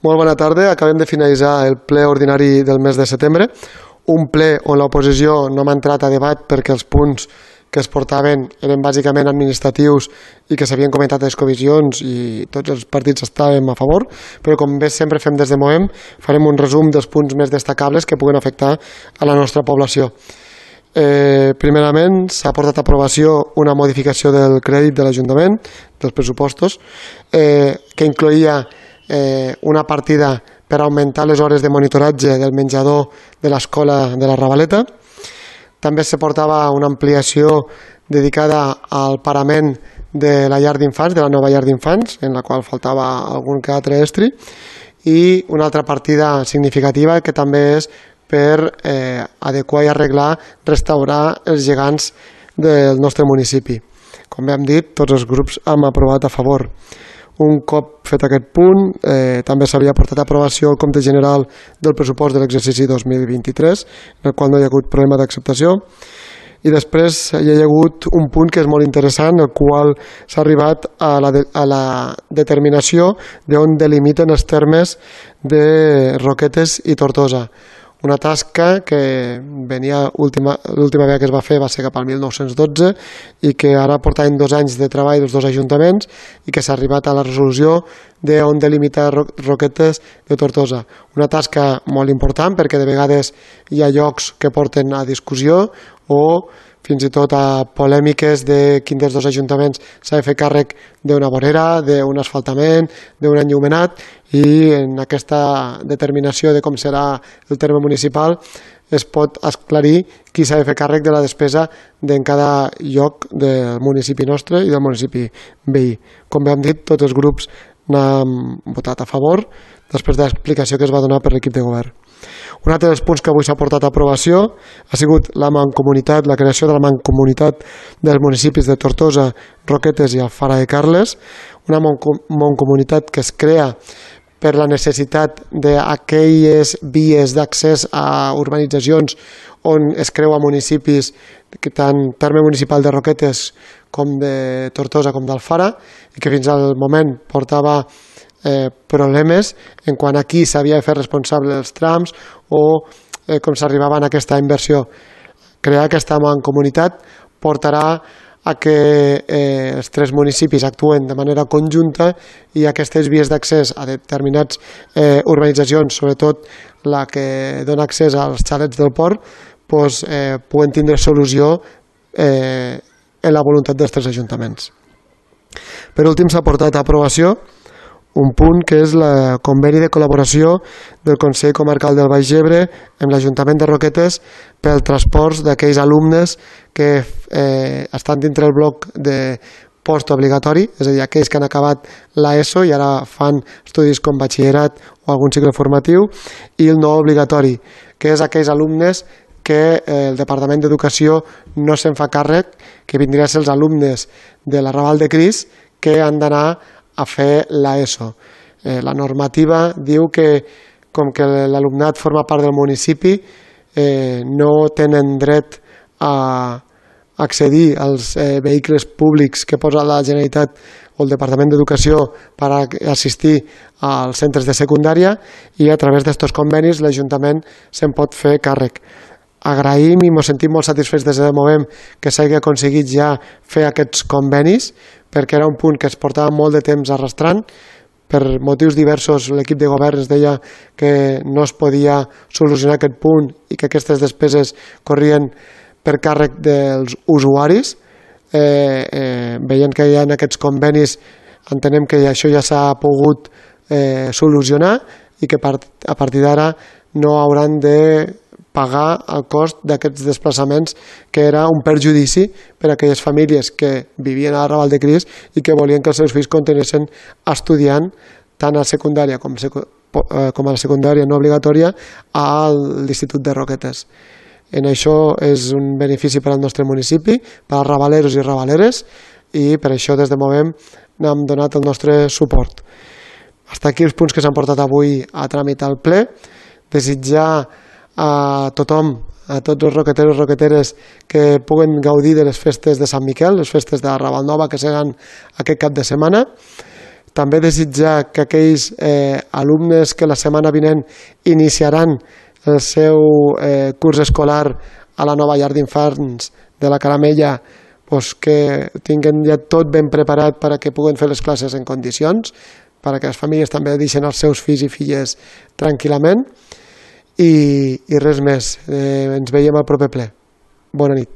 Molt bona tarda. Acabem de finalitzar el ple ordinari del mes de setembre, un ple on l'oposició no m'ha entrat a debat perquè els punts que es portaven eren bàsicament administratius i que s'havien comentat a les comissions i tots els partits estàvem a favor, però com bé sempre fem des de Movem, farem un resum dels punts més destacables que puguen afectar a la nostra població. Primerament, s'ha portat a aprovació una modificació del crèdit de l'Ajuntament, dels pressupostos, que incloïa una partida per augmentar les hores de monitoratge del menjador de l'escola de la Ravaleta. També se portava una ampliació dedicada al parament de la llar d'infants, de la nova llar d'infants, en la qual faltava algun que altre estri, i una altra partida significativa que també és per adequar i arreglar, restaurar els gegants del nostre municipi. Com bé hem dit, tots els grups hem aprovat a favor. Un cop fet aquest punt, també s'havia portat a aprovació el compte general del pressupost de l'exercici 2023, en el qual no hi ha hagut problema d'acceptació. I després hi ha hagut un punt que és molt interessant, el qual s'ha arribat a la determinació d'on delimiten els termes de Roquetes i Tortosa. Una tasca que venia l'última vegada que es va fer va ser cap al 1912 i que ara portaven 2 anys de treball dels dos ajuntaments i que s'ha arribat a la resolució d'on delimitar Roquetes de Tortosa. Una tasca molt important perquè de vegades hi ha llocs que porten a discussió o fins i tot a polèmiques de quin dels dos ajuntaments s'ha de fer càrrec d'una vorera, d'un asfaltament, d'un enllumenat, i en aquesta determinació de com serà el terme municipal es pot esclarir qui s'ha de fer càrrec de la despesa en cada lloc del municipi nostre i del municipi veí. Com bé hem dit, tots els grups n'han votat a favor després de l'explicació que es va donar per l'equip de govern. Un altre dels punts que avui s'ha portat a aprovació ha sigut la mancomunitat, la creació de la mancomunitat dels municipis de Tortosa, Roquetes i Alfara de Carles, una mancomunitat que es crea per la necessitat d'aquelles vies d'accés a urbanitzacions on es creua municipis, tant terme municipal de Roquetes com de Tortosa com d'Alfara, i que fins al moment portava problemes en quant a qui s'havia de fer responsable dels trams o com s'arribava a aquesta inversió. Crear aquesta mancomunitat portarà a que els 3 municipis actuen de manera conjunta i aquestes vies d'accés a determinats urbanitzacions, sobretot la que dona accés als xalets del port, puguen tindre solució en la voluntat dels 3 ajuntaments. Per últim, s'ha portat a aprovació un punt que és el conveni de col·laboració del Consell Comarcal del Baix Ebre amb l'Ajuntament de Roquetes pel transport d'aquells alumnes que estan dintre el bloc de postobligatori, és a dir, aquells que han acabat l'ESO i ara fan estudis com batxillerat o algun cicle formatiu, i el no obligatori, que és aquells alumnes que el Departament d'Educació no se'n fa càrrec, que vindrien a ser els alumnes de la Raval de Cris que han d'anar a fer l'ESO. La normativa diu que, com que l'alumnat forma part del municipi, no tenen dret a accedir als vehicles públics que posa la Generalitat o el Departament d'Educació per assistir als centres de secundària, i a través d'aquests convenis l'Ajuntament se'n pot fer càrrec. Agraïm i ens sentim molt satisfets des de Movem que s'hagi aconseguit ja fer aquests convenis, perquè era un punt que es portava molt de temps arrastrant. Per motius diversos l'equip de govern ens deia que no es podia solucionar aquest punt i que aquestes despeses corrien per càrrec dels usuaris. Veient que hi ha aquests convenis, entenem que això ja s'ha pogut solucionar i que a partir d'ara no hauran de pagar el cost d'aquests desplaçaments, que era un perjudici per a aquelles famílies que vivien a la Raval de Cris i que volien que els seus fills continuessin estudiant tant a secundària com a la secundària no obligatòria a l'Institut de Roquetes. En això és un benefici per al nostre municipi, per als ravaleros i ravaleres, i per això des de Movem n'hem donat el nostre suport. Fins aquí els punts que s'han portat avui a tramitar al ple. Desitjar a tothom, a tots els roqueteros i roqueteres que puguen gaudir de les festes de Sant Miquel, les festes de la Raval Nova que seran aquest cap de setmana. també desitjar que aquells alumnes que la setmana vinent iniciaran el seu curs escolar a la nova llar d'infants de la Caramella, que tinguin ja tot ben preparat perquè puguen fer les classes en condicions, perquè les famílies també deixen els seus fills i filles tranquil·lament, i res més. Ens veiem al proper ple. Bona nit.